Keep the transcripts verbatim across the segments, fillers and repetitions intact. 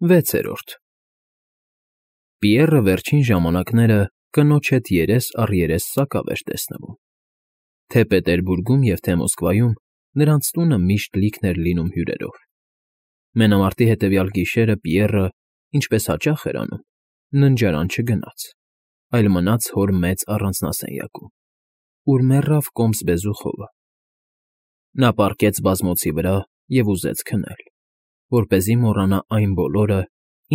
Վեցերորդ Պիեռը վերջին ժամանակները կնոջ հետ երես առ երես սակավ էր տեսնվում. թե Պետերբուրգում և թե Մոսկվայում նրանց տունը միշտ լիքն էր լինում հյուրերով. մենամարտի հետևյալ գիշերը Պիեռը, ինչպես հաճախ էր անում, ննջարան չգնաց, այլ մնաց հոր մեծ առանձնասենյակում, ուր մեռավ կոմս բեզուխովը. նա պառկեց բազմոցի վրա և ուզեց քնել, որպեսզի մոռանա այն բոլորը,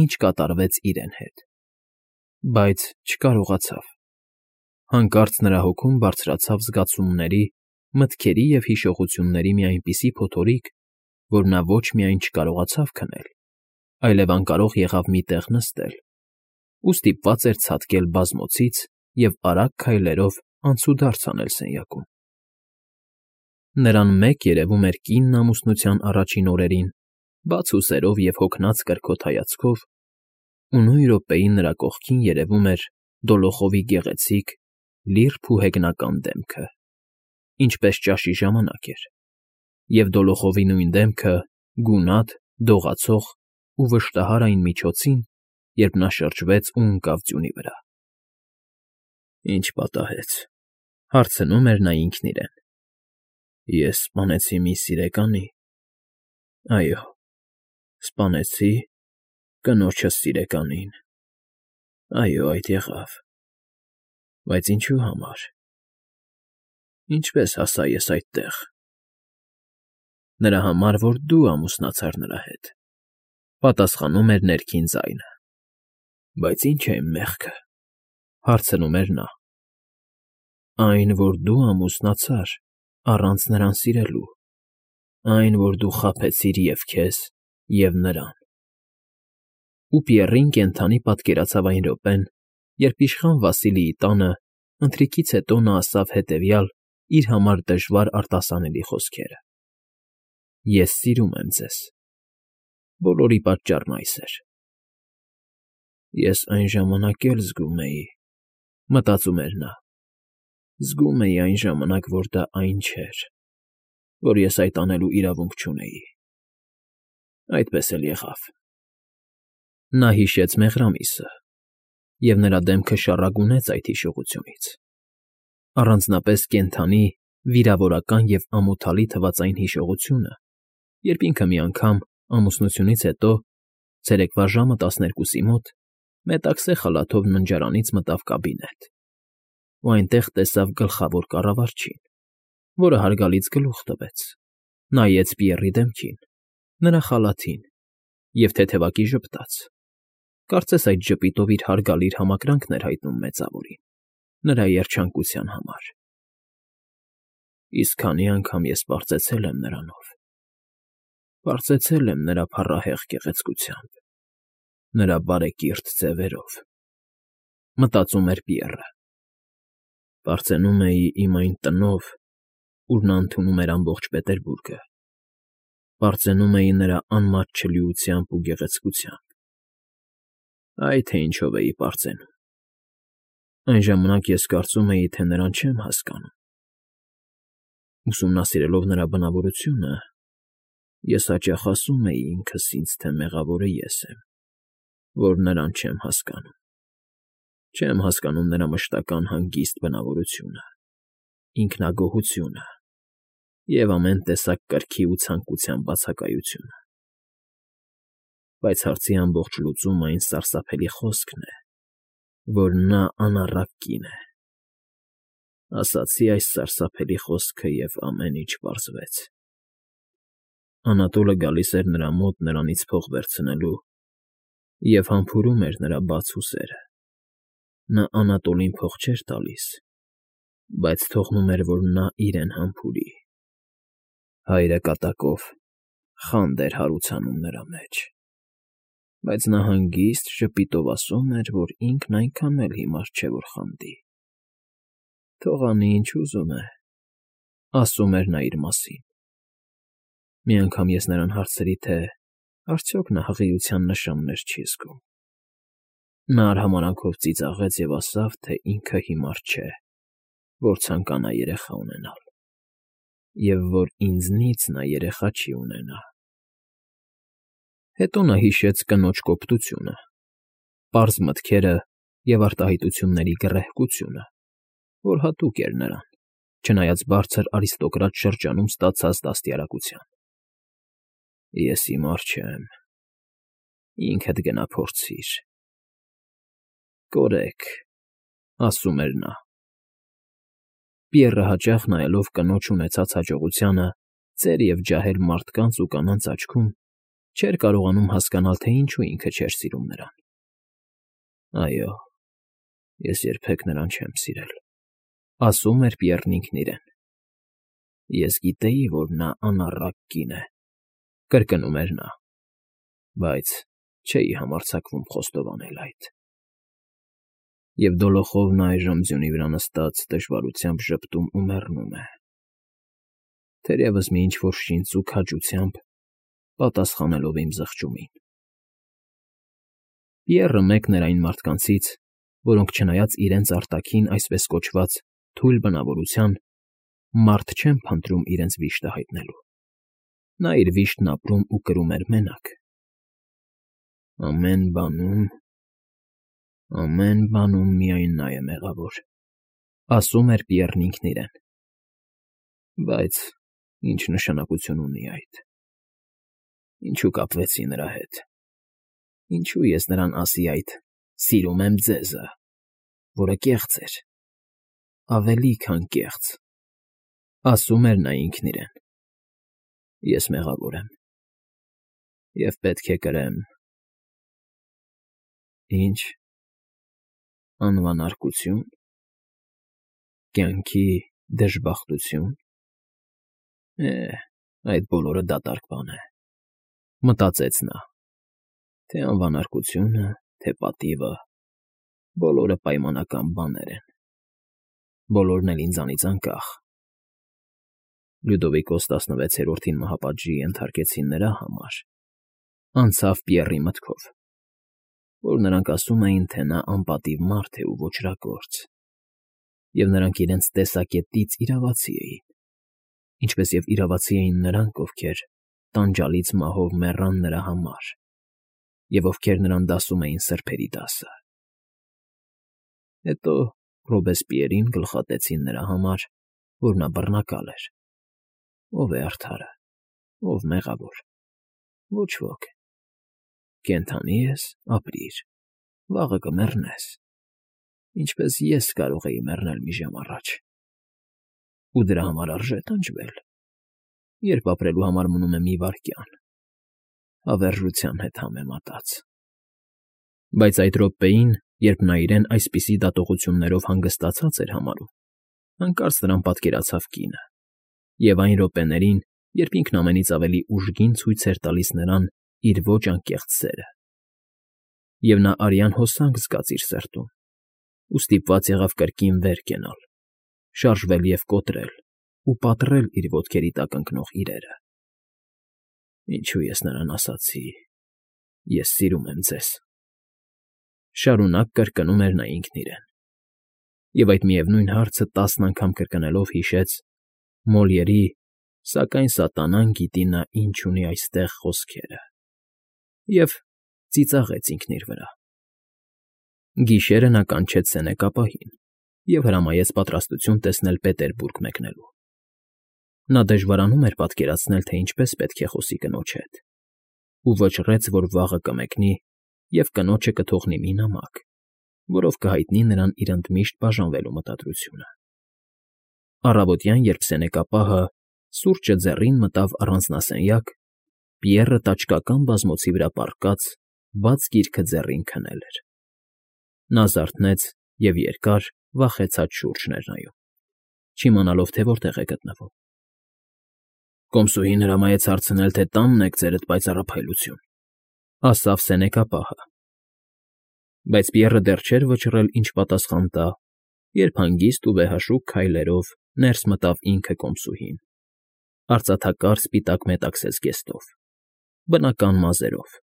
ինչ կատարվեց իրեն հետ, բայց չկարողացավ. հանկարծ նրա հոգում բարձրացավ զգացումների, մտքերի և հիշողությունների մի այնպիսի փոթորիկ, որ նա ոչ միայն չկարողացավ քնել, այլև անկարող եղավ մի տեղ նստել ու ստիպված էր ցատկել բազմոցից և արագ քայլերով անցուդարձ անել սենյակում. նրան մեկ երևում էր կինն ամուսնության առաջին օրերին, բաց ուսերով և հոգնած կրքոտ հայացքով, ու նույն րոպեին նրա կողքին երևում էր Դոլոխովի գեղեցիկ, լիրբ ու հեգնական դեմքը, ինչպես ճաշի ժամանակ էր, և Դոլոխովի նույն դեմքը գունատ, դողացող ու վշտահար այն միջոցին, երբ նա շրջվեց ու ընկավ ձյունի վրա։ «Ի՞նչ պատահեց,֊ հարցնում էր նա ինքն իրեն,֊ ես սպանեցի մի սիրեկանի՞։ Այո, սպանեցի կնոջս սիրեկանին, այո, այդ եղավ, բայց ինչու համար, ինչպե՞ս հասա ես այդտեղ։ Նրա համար, որ դու ամուսնացար նրա հետ,֊ պատասխանում էր ներքին ձայնը։ «Բայց ի՞նչ է իմ մեղքը,֊ հարցնում էր նա։ Այն, որ դու ամուսնացար առանց նրան սիրելու, այն, որ դու խաբեցիր և քեզ, և նրան»։ Ու Պիեռին կենդանի պատկերացավ այն րոպեն, երբ իշխան Վասիլիի տանը ընթրիքից հետո նա ասավ հետևյալ իր համար դժվար արտասանելի խոսքերը. «Ես սիրում եմ ձեզ, բոլորի պատճառն այս էր»։ «Ես այն ժամանակ էլ զգում էի,֊ մտածում էր նա,֊ զգում էի այն ժամանակ, որ դա այն չէր, որ ես այդ անելու իրավունք չունեի, այդպես էլ եղավ»։ Նա հիշեց մեղրամիսը, և նրա դեմքը շառագունեց այդ հիշողությունից, առանձնապես կենդանի, վիրավորական և ամոթալի թվաց այն հիշողությունը, երբ ինքը մի անգամ, ամուսնությունից հետո, ցերեկվա ժամը տասներկուսի մոտ, մետաքսե խալաթով ննջարանից մտավ կաբինետ ու այնտեղ տեսավ գլխավոր կառավարչին, որը հարգալից գլուխ տվեց, նայեց Պիեռի դեմքին, նրա խալաթին և թեթևակի ժպտաց, կարծես այդ ժպիտով իր հարգալից համակրանքն էր հայտնում մեծավորին, նրա երջանկության համար։ Իսկ քանի անգամ ես պարծեցել եմ նրանով, պարծեցել եմ նրա փառահեղ գեղեցկությամբ, նրա բարեկիրթ ձևերով,֊ մտածում էր Պիեռը։ Պարծենում էի իմ այն տնով, ուր նա ընդունում էր ամբողջ Պետերբուրգը, պարծենում էի նրա անմատչելիությամբ ու գեղեցկությամբ։ Այ թե ինչով էի պարծենում… Այն ժամանակ ես կարծում էի, թե նրան չեմ հասկանում։ Ուսումնասիրելով նրա բնավորությունը, ես հաճախ ասում էի ինքս ինձ, թե մեղավորը ես եմ, որ նրան չեմ հասկանում, չեմ հասկանում նրա մշտական հանգիստ բնավորությունը, ինքնագոհությունը և ամեն տեսակ կրքի ու ցանկության բացակայությունը։ Բայց հարցի ամբողջ լուծումը այն սարսափելի խոսքն է, որ նա անառակ կին է։ Ասացի այս սարսափելի խոսքը, և ամեն ինչ պարզվեց։ Անատոլը գալիս էր նրա մոտ նրանից փող վերցնելու և համբուրում էր նրա բաց ուսերը։ Նա Անատոլին փող չէր տալիս, բայց թողնում էր, որ նա իրեն համբուրի։ Հայրը կատակով խանդ էր հարուցանում նրա մեջ, բայց նա հանգիստ ժպիտով ասում էր, որ ինքն այնքան էլ հիմար չէ, որ խանդի։ Թող անի, ինչ ուզում է, ասում էր նա իր մասին։ Մի անգամ ես նրան հարցրի, թե արդյոք նա հղիության նշաններ չի զգում։ Նա արհամարհանքով ծիծաղեց և ասավ, թե ինքը հիմար չէ, որ ցանկանա երեխա ունենալ, և որ ինձնից նա երեխա չի ունենա։ Հետո նա հիշեց կնոջ կոպտությունը, պարզ մտքերը և արտահայտությունների գռեհկությունը, որ հատուկ էր նրան, չնայած բարձր արիստոկրատ շրջանում ստացած դաստիարակության։ Ես հիմար չեմ, ինքդ գնա փորձիր։ Կորեք, ասում էր նա։ Պիեռը հաճախ նայելով կնոջ ունեցած հաջողությանը ծեր և ջահել մարդկանց ու կանանց աչքում, չէր կարողանում հասկանալ, թե ինչու ինքը չէր սիրում նրան։ Այո, ես երբեք նրան չեմ սիրել, ասում էր Պիեռն ինքն իրեն։ Ես գիտեի, որ նա անառակ կին է, կրկնում էր նա, բայց չէի համարձակվում խոստովանել այդ։ Եվ դոլոխովն այժմ ձյունի վրա նստած դժվարությամբ ժպտում ու մեռնում է, թերևս մի ինչ֊որ շինծու քաջությամբ պատասխանելով իմ զղջումին։ Պիեռը մեկն էր այն մարդկանցից, որոնք չնայած իրենց արտաքին այսպես կոչված թույլ բնավորության, մարդ չեն փնտրում իրենց վիշտը հայտնելու։ Նա իր վիշտն ապրում ու կրում էր մենակ։ Ամեն բանում, ամեն բանում միայն նա է մեղավոր, ասում էր Պիեռն ինքն իրեն։ Բայց ինչ նշանակություն ունի այդ։ Ինչու կապվեցի նրա հետ։ Ինչու ես նրան ասի այդ «սիրում եմ ձեզը», որը կեղծ էր, ավելի քան կեղծ, ասում էր նա ինքն իրեն։ Ես մեղավոր եմ և պետք է կրեմ… Ինչ… անվանարկությո՞ւն, կյանքի դժբախտությո՞ւն… Է՜, այդ բոլորը դատարկ բան է, մտածեց նա, թե անվանարկությունը, թե պատիվը, բոլորը պայմանական բաներ են, բոլորն էլ ինձանից անկախ։ Լյուդովիկոս տասնվեցերորդին մահապատժի ենթարկեցին նրա համար, անցավ Պիեռի մտքով, որ նրանք ասում էին, թե նա անպատիվ մարդ է ու ոճրագործ, և նրանք իրենց տեսակետից իրավացի էին, ինչպես և իրավացի էին նրանք, ովքեր տանջալից մահով մեռան նրա համար և ովքեր նրան դասում էին սրբերի դասը։ Հետո Ռոբեսպիերին գլխատեցին նրա համար, որ նա բռնակալ էր։ Ո՞վ է արդարը, ո՞վ մեղավոր։ Ոչ ոք։ Կենդանի ես՝ ապրիր, վաղը կմեռնես, ինչպես ես կարող էի մեռնել մի ժամ առաջ։ Ու դրա համար արժե՞ տանջվել, երբ ապրելու համար մնում է մի վայրկյան, հավերժության հետ համեմատած։ Բայց այդ րոպեին, երբ նա իրեն այսպիսի դատողություններով հանգստացած էր համարում, հանկարծ նրան պատկերացավ կինը, և այն րոպեներին, երբ ինքն ամենից ավելի ուժգին ցույց էր տալիս նրան իր ոչ անկեղծ սերը, և նա արյան հոսանք զգաց իր սրտում, ու ստիպված եղավ կրկին վեր կենալ, շարժվել և կոտրել ու պատռել իր ոտքերի տակ ընկնող իրերը։ Ինչո՞ւ ես նրան ասացի. «Ես սիրում եմ ձեզ», շարունակ կրկնում էր նա ինքն իրեն, և այդ միևնույն հարցը տասն անգամ կրկնելով հիշեց Մոլիերի «Սակայն սատանան գիտի նա ինչ ունի այստեղ» խոսքերը և ծիծաղեց ինքն իր վրա։ Գիշերը նա կանչեց սենեկապահին և հրամայեց պատրաստություն տեսնել Պետերբուրգ մեկնելու։ Նա դժվարանում էր պատկերացնել, թե ինչպես պետք է խոսի կնոջ հետ, ու վճռեց, որ վաղը կմեկնի և կնոջը կթողնի մի նամակ, որով կհայտնի նրան իր ընդմիշտ բաժանվելու մտադրությունը։ Առավոտյան, երբ սենեկապահը սուրճը ձեռին մտավ առանձնասենյակ, Պիեռը տաճկական բազմոցի վրա պառկած բաց գիրքը ձեռին քնել էր։ Նա զարթնեց և երկար, վախեցած շուրջն էր նայում, չիմանալով, թե որտեղ է գտնվում։ Կոմսուհին հրամայեց հարցնել, թե տանն եք ձերդ պայծառափայլություն, ասավ սենեկապահը։ Բայց Պիեռը դեռ չէր վճռել ինչ պատասխան տա, երբ հանգիստ ու վեհաշուք քայլերով ներս մտավ ինքը կոմսուհին, արծաթակար սպիտակ մետաքսե զգեստով, բնական մազերով։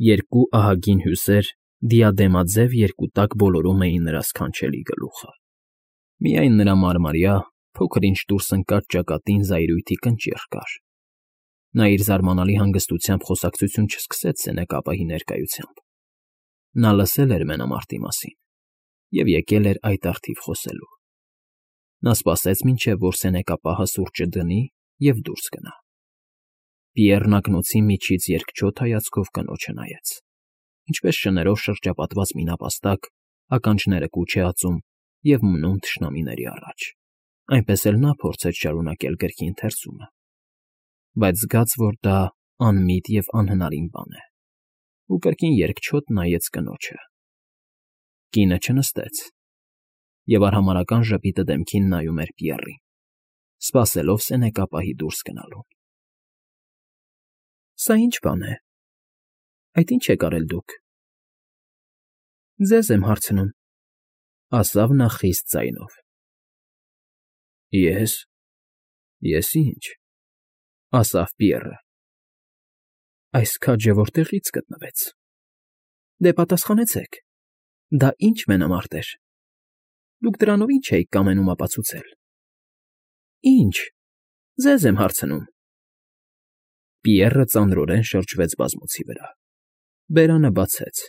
Երկու ահագին հյուսեր դիադեմաձև երկուտակ բոլորում էին նրա սքանչելի գլուխը։ Միայն նրա մարմարյա, փոքր֊ինչ դուրս ընկած ճակատին զայրույթի կնճիռ կար, Նա իր զարմանալի հանգստությամբ խոսակցություն չսկսեց Սենեկապահի ներկայությամբ. նա լսել էր մենամարտի մասին և եկել էր այդ առթիվ խոսելու։ Նա սպասեց, մինչև որ Սենեկապահը սուրճը դնի և դուրս գնա։ Պիեռն ակնոցի միջից երկչոտ հայացքով կնոջը նայեց, ինչպես շներով շրջապատված մի նապաստակ ականջները կուչ է ածում և մնում թշնամիների առաջ, այնպես էլ նա փորձեց շարունակել գրքի ընթերցումը, բայց զգաց, որ դա անմիտ և անհնարին բան է, ու կրկին երկչոտ նայեց կնոջը։ Կինը չնստեց և արհամարհական ժպիտը դեմքին նայում էր Պիեռին, սպասելով Սենեկապահի դուրս գնալուն։ ֊ Սա ի՞նչ բան է, այդ ի՞նչ եք արել դուք։ ֊ Ձեզ եմ հարցնում,֊ ասավ նա խիստ ձայնով։ ֊ Ե՞ս… Ես ի՞նչ,֊ ասավ Պիեռը։ ֊ Այս քաջը որտեղի՞ց գտնվեց։ Դե պատասխանեցեք, դա ի՞նչ մենամարտ էր։ Դուք դրանով ի՞նչ էիք կամենում ապացուցել։ ֊ Ի՞նչ… Ձեզ եմ հարցնում։ Պիեռը ծանրորեն շրջվեց բազմոցի վրա, բերանը բացեց,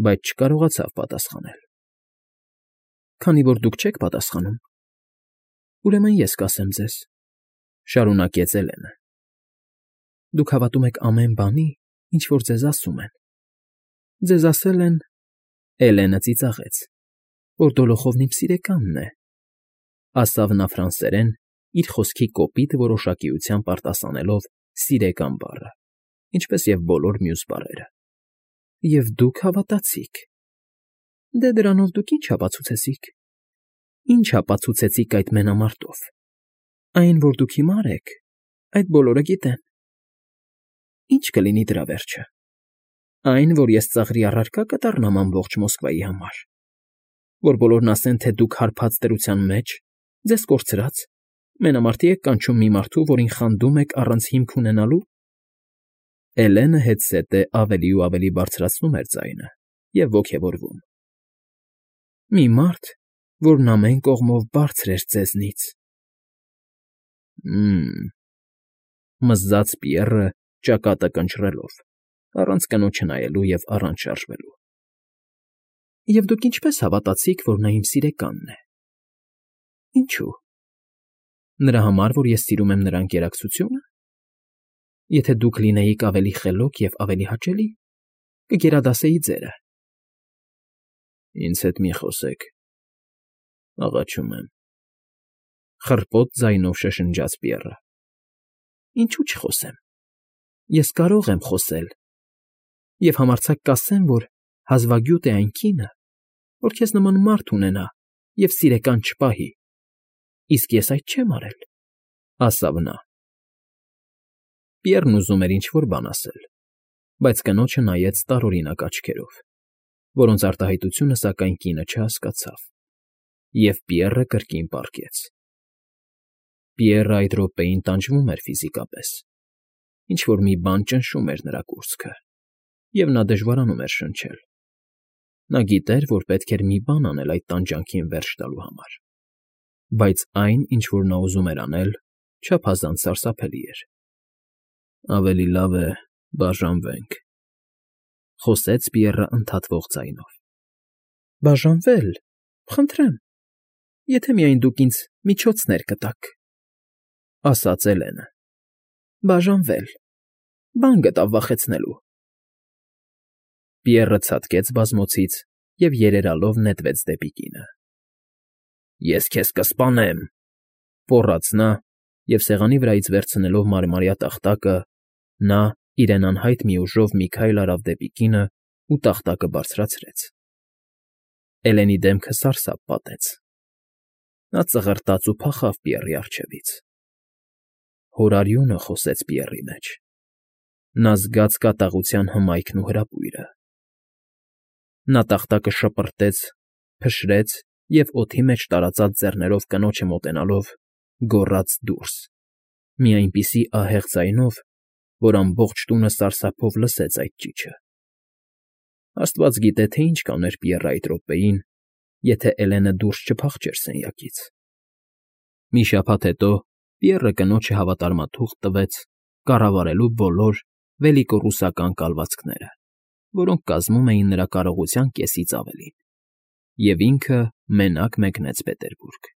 բայց չկարողացավ պատասխանել։ ֊ Քանի որ դուք չեք պատասխանում, ուրեմն ես կասեմ ձեզ,֊ շարունակեց Էլենը։ ֊ Դուք հավատում եք ամեն բանի, ինչ որ ձեզ ասում են։ Ձեզ ասել են… Էլենը ծիծաղեց, որ Դոլոխովն իմ սիրեկանն է, ասավ նա ֆրանսերեն, իր խոսքի կոպիտ որոշակիությամբ արտասանելով սիրեկան բառը, ինչպես և բոլոր մյուս բառերը։ Եվ դուք հավատացիք։ Դե դրանով դուք ի՞նչ ապացուցեցիք։ Ի՞նչ ապացուցեցիք այդ մենամարտով։ Այն, որ դուք հիմար եք, այդ բոլորը գիտեն։ Ի՞նչ կլինի դրա վերջը։ Այն, որ ես ծաղրի առարկա կդառնամ ամբողջ Մոսկվայի համար, որ բոլորն ասեն, թե դուք հարբած դրության մեջ, ձեզ կորցրած, մենամարտի եք կանչում մի մարդու, որին խանդում եք առանց հիմք ունենալու։ Էլենը հետզհետե ավելի ու ավելի բարձրացնում էր ձայնը և ոգևորվում։ Մի մարդ, որն ամեն կողմով բարձր էր ձեզնից։ ֊ Հը՜մ,֊ մզաց Պիեռը ճակատը կնճռելով, առանց կնոջը նայելու և առանց շարժվելու։ ֊ Եվ դուք ինչպե՞ս հավատացիք, որ նա իմ սիրեկանն է։ ֊ Ինչո՞ւ։ Նրա համար, որ ես սիրում եմ նրա ընկերակցությո՞ւնը։ Եթե դուք լինեիք ավելի խելոք և ավելի հաճելի, կգերադասեի ձերը։ ֊ Ինձ հետ մի խոսեք, աղաչում եմ,֊ խռպոտ ձայնով շշնջաց Պիեռը։ ֊ Ինչու չխոսեմ։ Ես կարող եմ խոսել և համարձակ կասեմ, որ հազվագյուտ է այն կինը, որ քեզ նման մարդ ունենա և սիրեկան չպահի, իսկ ես այդ չեմ արել,֊ ասավ նա։ Պիեռն ուզում էր ինչ֊որ բան ասել, բայց կնոջը նայեց տարօրինակ աչքերով, որոնց արտահայտությունը, սակայն, կինը չհասկացավ, և Պիեռը կրկին պառկեց։ Պիեռը այդ րոպեին տանջվում էր ֆիզիկապես, ինչ֊որ մի բան ճնշում էր նրա կուրծքը, և նա դժվարանում էր շնչել։ Նա գիտեր, որ պետք էր մի բան անել այդ տանջանքին վերջ տալու համար, բայց այն, ինչ որ նա ուզում էր անել, չափազանց սարսափելի էր։ ֊ Ավելի լավ է բաժանվենք,֊ խոսեց Պիեռը ընդհատվող ձայնով։ ֊ Բաժանվե՞լ, խնդրեմ, եթե միայն դուք ինձ միջոցներ կտաք,֊ ասաց Էլենը։ ֊ Բաժանվե՞լ, բան գտավ վախեցնելու։ Պիեռը ցատկեց բազմոցից և երերալով նետվեց դեպի կինը։ ֊ Ես քեզ կսպանեմ,֊ ֆոռաց նա, և սեղանի վրայից վերցնելով մարմարյա տախտակը, նա, իրեն անհայտ մի ուժով մի քայլ արավ դեպի կինն ու տախտակը բարձրացրեց։ Էլենի դեմքը սարսափ պատեց։ Նա ծղրտաց ու փախավ Պիեռի առջևից։ Հորարյունը խոսեց Պիեռի մեջ։ Նա զգաց կատաղության հմայքն ու հրապույրը։ Նա տախտակը շպրտեց, փշրեց և օդի մեջ տարածած ձեռներով կնոջը մոտենալով գոռաց դուրս, մի այնպիսի ահեղ ձայնով, որ ամբողջ տունը սարսափով լսեց այդ ճիչը։ Աստված գիտե, թե ինչ կաներ Պիեռը այդ րոպեին, եթե Էլենը դուրս չփախչեր սենյակից։ Մի շաբաթ հետո Պիեռը կնոջը հավատարմաթուղթ տվեց կառավարելու բոլոր վելիկոռուսական կալվածքները, որոնք կազմում էին նրա կարողության կեսից ավելին, և ինքը մենակ մեկնեց Պետերբուրգ։